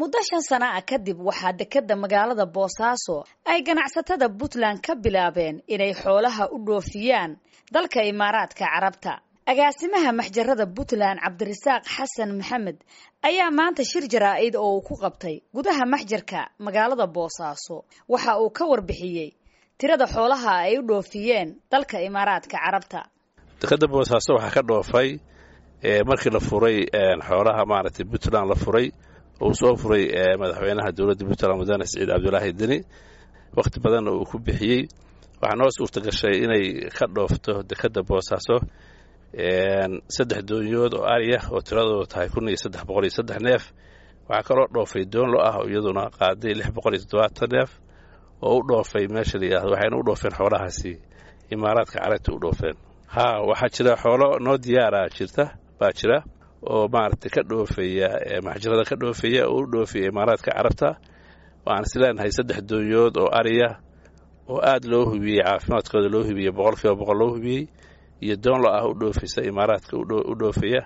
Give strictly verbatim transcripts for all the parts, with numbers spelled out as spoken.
Muddo shan sana ah kadib waxaa dekeda magaalada Boosaaso ay ganacsatada Puntland ka bilaabeen inay xoolaha u dhoofiyaan dalka Imaaraadka Carabta. Agaasimaha maxjarada Puntland Cabdirasaaq Xasan Maxamed ayaa maanta shir jaraa'id oo uu ku qabtay gudaha maxjarka magaalada Boosaaso waxa uu ka warbixiyey tirada xoolaha ay u dhoofiyeen dalka Imaaraadka Carabta. Dekeda Boosaaso waxaa ka dhoofay markii la furay xoolaha maaragtay Puntland la furay uu soo furay madaxweynaha dowladda Puntland Mudane Siciid Cabdulaahi Deni, wakhti badanna uu ku bixiyey. Waxaa noo suurta gashay inay ka dhoofto dekeda Boosaaso saddex doonyood oo ariya oo tiradoodu tahay kun iyo saddex boqol iyo saddex neef. Waxaa kaloo dhoofay doon lo ah oo iyaduna qaaday lix boqol iyo toddobaatan neef oo u dhoofay meesha la yidhahdo. Waxayna u dhoofeen xoolahaasi Imaaraadka Carabta u dhoofeen. Haa, waxaa jira xoolo noo diyaaraa jirta baa jira oo maaragtay ka dhoofaya maxjarada ka dhoofaya oo u dhoofaya Imaaraadka Carabta. Waxaan is leenahay saddex doonyood oo ariya oo aad loo hubiyey, caafimaadkooda loo hubiyey, boqolkiiba boqol loo hubiyey, iyo doon lo ah u dhoofaysa Imaaraadka u dhoofaya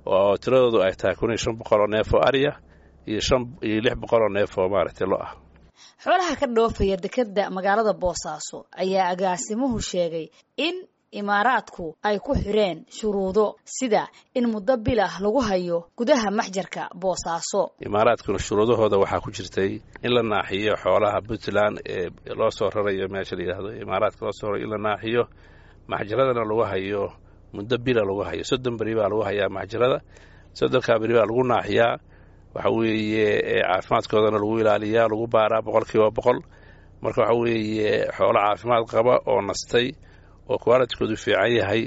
oo tiradoodu ay tahay kun iyo shan boqol oo neef oo ariya iyo shan iyo lix boqol oo neef oo maaragtay lo ah. Xoolaha ka dhoofaya dekeda magaalada Boosaaso ayaa agaasimuhu sheegay in Imaaraadku ay ku xireen shuruudo sida in muddo bil ah lagu hayo gudaha maxjarka Boosaaso. Imaaraadkuna shuruudahooda waxaa ku jirtay in la naaxiyo xoolaha Puntland ee loo soo rarayo meesha la yidhaahdo Imaaraadka loo soo rarayo, in la naaxiyo maxjaradana lagu hayo muddo bila lagu hayo, soddon beri baa lagu hayaa maxjarada, soddonkaa beri baa lagu naaxiyaa. Waxa weeye caafimaadkoodana lagu ilaaliyaa, lagu baaraa boqolkiiba boqol. Marka waxa weeye xoolo caafimaad qaba oo nastay oo kuwaalitkoodu fiican yahay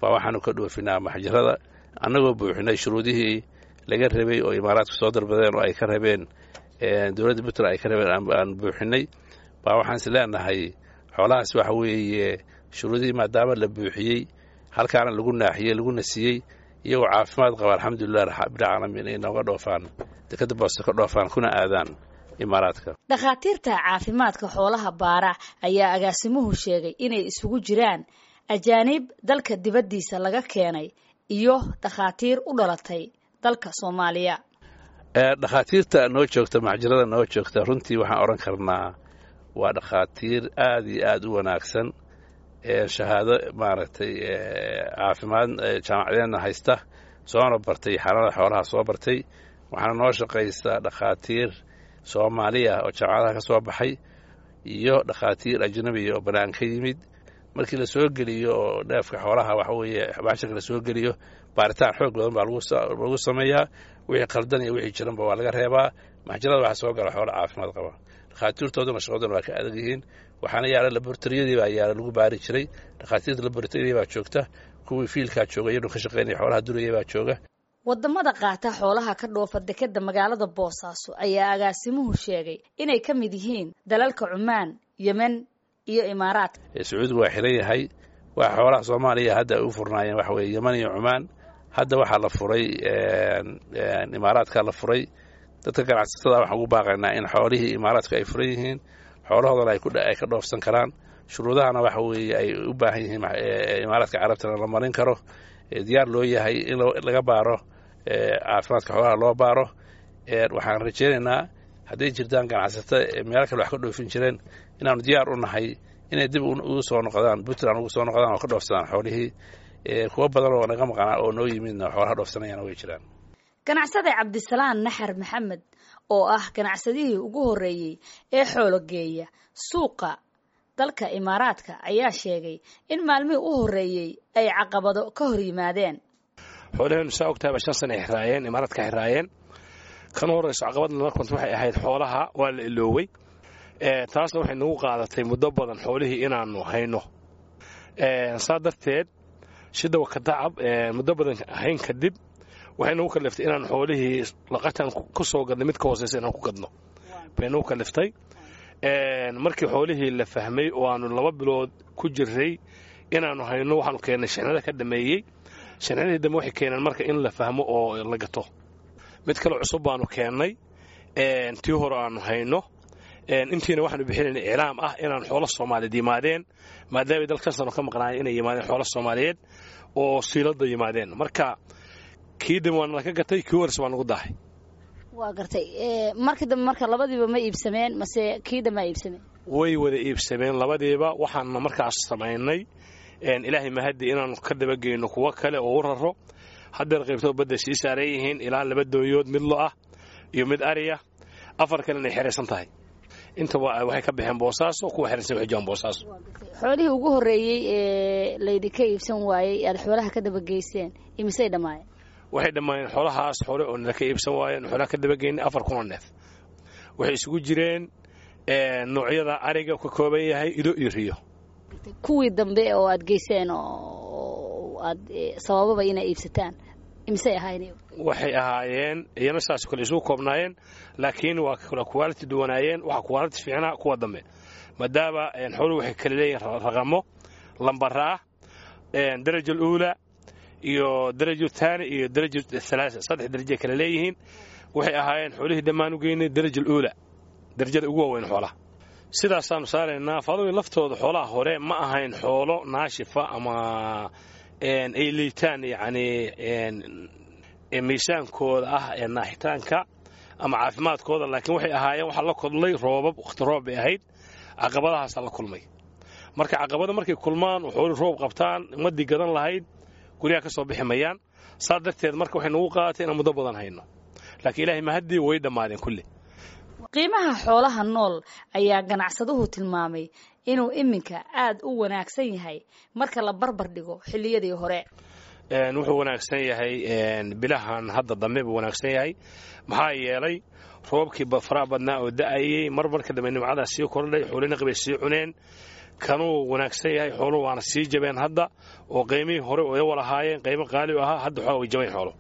baa waxaanu ka dhoofinaa maxjarada, annagoo buuxinay shuruudihii laga rabay oo Imaaraadku soo dalbadeen oo ay ka rabeen dowladda Puntland ay ka rabeen aan buuxinay. Baa waxaan is leenahay xoolahaas waxa weeye shuruudihii maadaama la buuxiyey, halkaana lagu naaxiyey, laguna siiyey, iyagoo caafimaad qaba, alxamdulilah rabbilcaalamiin, inay nooga dhoofaan dekeda Boose ka dhoofaan kuna aadaan Imaaraadka. Dhakhaatiirta caafimaadka xoolaha baara ayaa agaasimuhu sheegay inay isugu jiraan ajaanib dalka dibaddiisa laga keenay iyo dhakhaatiir u dhalatay dalka Soomaaliya. Dhakhaatiirta noo joogta maxjarada noo joogta runtii waxaan odhan karnaa waa dhakhaatiir aad iyo aad u wanaagsan, shahaado maaragtay caafimaad jaamacadeedna haysta, soona bartay xanaanada xoolaha soo bartay. Waxaana noo shaqaysaa dhakhaatiir Soomaaliya oo jaamacadaha ka soo baxay iyo dhakhaatiir ajnabiya oo bannaan ka yimid. Markii la soo geliyo oo dheefka xoolaha waxa weeye maxjarka la soo geliyo, baaritaan xoog badan baa lagu sameeyaa, wixii qaldan iyo wixii jiranba waa laga reebaa. Maxjarada waxaa soo gala xoolo caafimaad qaba, dhakhaatiirtooduna shaqadoona waa ka adag yihiin. Waxaana yaala laboratoriyadii baa yaala lagu baari jiray, dhakhaatiirta laboratoriyadii baa joogta, kuwii fiilkaa jooga iyadoo ka shaqaynaya xoolaha duraya baa jooga. Wadamada qaata xoolaha ka dhoofa dekeda magaalada Boosaaso ayaa agaasimuhu sheegay inay ka mid yihiin dalalka Cumaan, Yemen iyo Imaaraadka. Sacuudigu waa xiran yahay. Waa xoolaha Soomaaliya hadda ay u furnaayeen waxa weeye Yemen iyo Cumaan. Hadda waxaa la furay Imaaraadka la furay. Dadka ganacsatada waxaan ugu baaqaynaa in xoolihii Imaaraadku ay furan yihiin, xoolahoodana ay ka dhoofsan karaan, shuruudahana waxa weeye ay u baahan yihiin Imaaraadka Carabtana la marin karo, diyaar loo yahay in laga baaro caafimaadka xoolaha loo baaro. Waxaan rajaynaynaa hadday jirtaan ganacsato meelo kale wax ka dhoofin jireen inaanu diyaar u nahay inay dib ugu soo noqdaan Puntland, ugu soo noqdaan oo ka dhoofsadaan xoolihii. Kuwo badan oo naga maqanaa oo noo yimidna xoolaha dhoofsanayana way jiraan. Ganacsade Cabdisalaan Naxar Maxamed oo ah ganacsadihii ugu horreeyey ee xoolo geeya suuqa dalka Imaaraadka ayaa sheegay in maalmihii u horreeyey ay caqabado ka hor yimaadeen. Xoolaheenu saa ogtahay shan sana ay xiraayeen, Imaaraadka xiraayeen. Kan horreyso caqabadna markanta waxay ahayd xoolaha waa la iloowey, taasna waxay nagu qaadatay muddo badan xoolihii inaannu hayno. Saa darteed shidawa ka tacab muddo badan hayn kadib waxay nagu kaliftay inaan xoolihii laqatan ku soo gadnay mid ka hooseysa inaan ku gadno bay nagu kaliftay. Markii xoolihii la fahmay oo aanu laba bilood ku jiray inaannu hayno, waxaanu keennay shixnada ka dhameeyey. Shixnadii dambe waxay keeneen marka in la fahmo oo la gato. Mid kale cusub baanu keennay, tii hore aanu hayno intiina waxaanu bixinayna iclaam ah inaan xoolo Soomaaliyeed yimaadeen, maadaamay dalkan sano ka maqnaayeen inay yimaadeen xoolo Soomaaliyeed oo siiladda yimaadeen. Marka kii dambe waana laka gatay, kii horese waa nagu daahay. Waa gartay. Markii dambe marka labadiiba ma iibsameen mase kii dambe a iibsameen? Way wada iibsameen labadiiba. Waxaanna markaas samaynay, ilaahay mahaddi, inaannu ka dabageyno kuwo kale oo u raro. Haddeer qaybtoo badda sii saaran yihiin ilaa laba doonyood, mid lo ah iyo mid ariya, afar kalena ay xeraysan tahay. Intaba waxay ka baxeen Boosaaso, kuwa xeraysan waxay joogaan Boosaaso. Xoolihii ugu horreeyey ee laydinka iibsan waayey aad xoolaha ka dabageyseen imisay dhammaayeen? Waxay dhammaayeen xoolahaas hore oo nala ka iibsan waayeen, xoolaha ka dabageynay, afar kun oo neef. Waxay isugu jireen noocyada ariga ka kooban yahay, ido iyo riyo. Kuwii dambe oo aad geyseen oo aad sabababa inay iibsataan imisay ahaayeen? Waxay ahaayeen iyana saasoo kale isugu koobnaayeen, laakiin waa kala quality duwanaayeen. Waxa quality fiicnaa kuwa dambe, maadaama xooluhu waxay kala leeyihiin raqamo lambara ah, daraja aluula iyo daraja thaani iyo daraja thalaasa, saddex daraja kala leeyihiin. Waxay ahaayeen xoolihii dhammaan u geynay daraja aluula, darajada ugu waaweyn xoolaha. Sidaasaanu saaraynaa faadumi. Laftooda xoolaha hore ma ahayn xoolo naashifa ama ay liitaan, yacni miisaankooda ah ee naaxitaanka ama caafimaadkooda, laakiin waxay ahaayeen waxaa la kodlay roobab, wakhti roob bay ahayd, caqabadahaasaa la kulmay. Marka caqabada markay kulmaan oo xooli roob qabtaan, ummaddii gadan lahayd guryaha ka soo bixi mayaan. Saa darteed marka waxay nagu qaadatay inaan muddo badan hayno, laakiin ilaahay mahaddii way dhammaadeen kulli. Qiimaha xoolaha nool ayaa ganacsaduhu tilmaamay inuu iminka aad u wanaagsan yahay marka la barbar dhigo xilliyadii hore. Wuxuu wanaagsan yahay bilahan hadda dambe buu wanaagsan yahay, maxaa yeelay roobkii faraha badnaa oo da'ayey mar marka dambe nimcadaa sii kordhay, xoolina qabay sii cuneen, kanuu wanaagsan yahay. Xooluhu waana sii jabeen hadda, oo qiimihii hore oo iyagu lahaayeen qiimo qaali u ahaa, hadda xoolaa way jabayn xoolo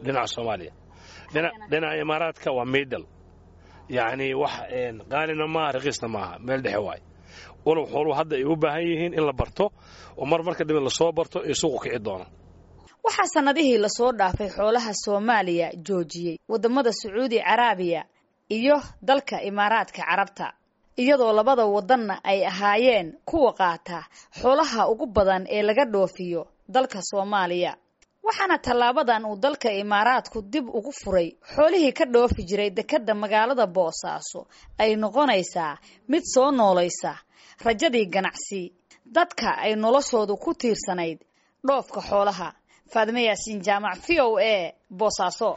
dhinaca Soomaaliya. Dhinaca Imaaraadka waa middle, yacni wax qaalina maaha, raqiisna maaha, meel dhexe waay. Walow xooluhu hadda ay u baahan yihiin in la barto oo mar marka dambe lasoo barto ee suuqu kici doono. Waxaa sannadihii lasoo dhaafay xoolaha Soomaaliya joojiyey waddamada Sacuudi Caraabiya iyo dalka Imaaraadka Carabta, iyadoo labada waddanna ay ahaayeen kuwa qaata xoolaha ugu badan ee laga dhoofiyo dalka Soomaaliya. Waxaana tallaabadan uu dalka Imaaraadku dib ugu furay xoolihii ka dhoofi jiray dekedda magaalada Boosaaso ay noqonaysaa mid soo noolaysa rajadii ganacsi dadka ay noloshoodu ku tiirsanayd dhoofka xoolaha. Faadime Yaasiin Jaamac, V O A, Boosaaso.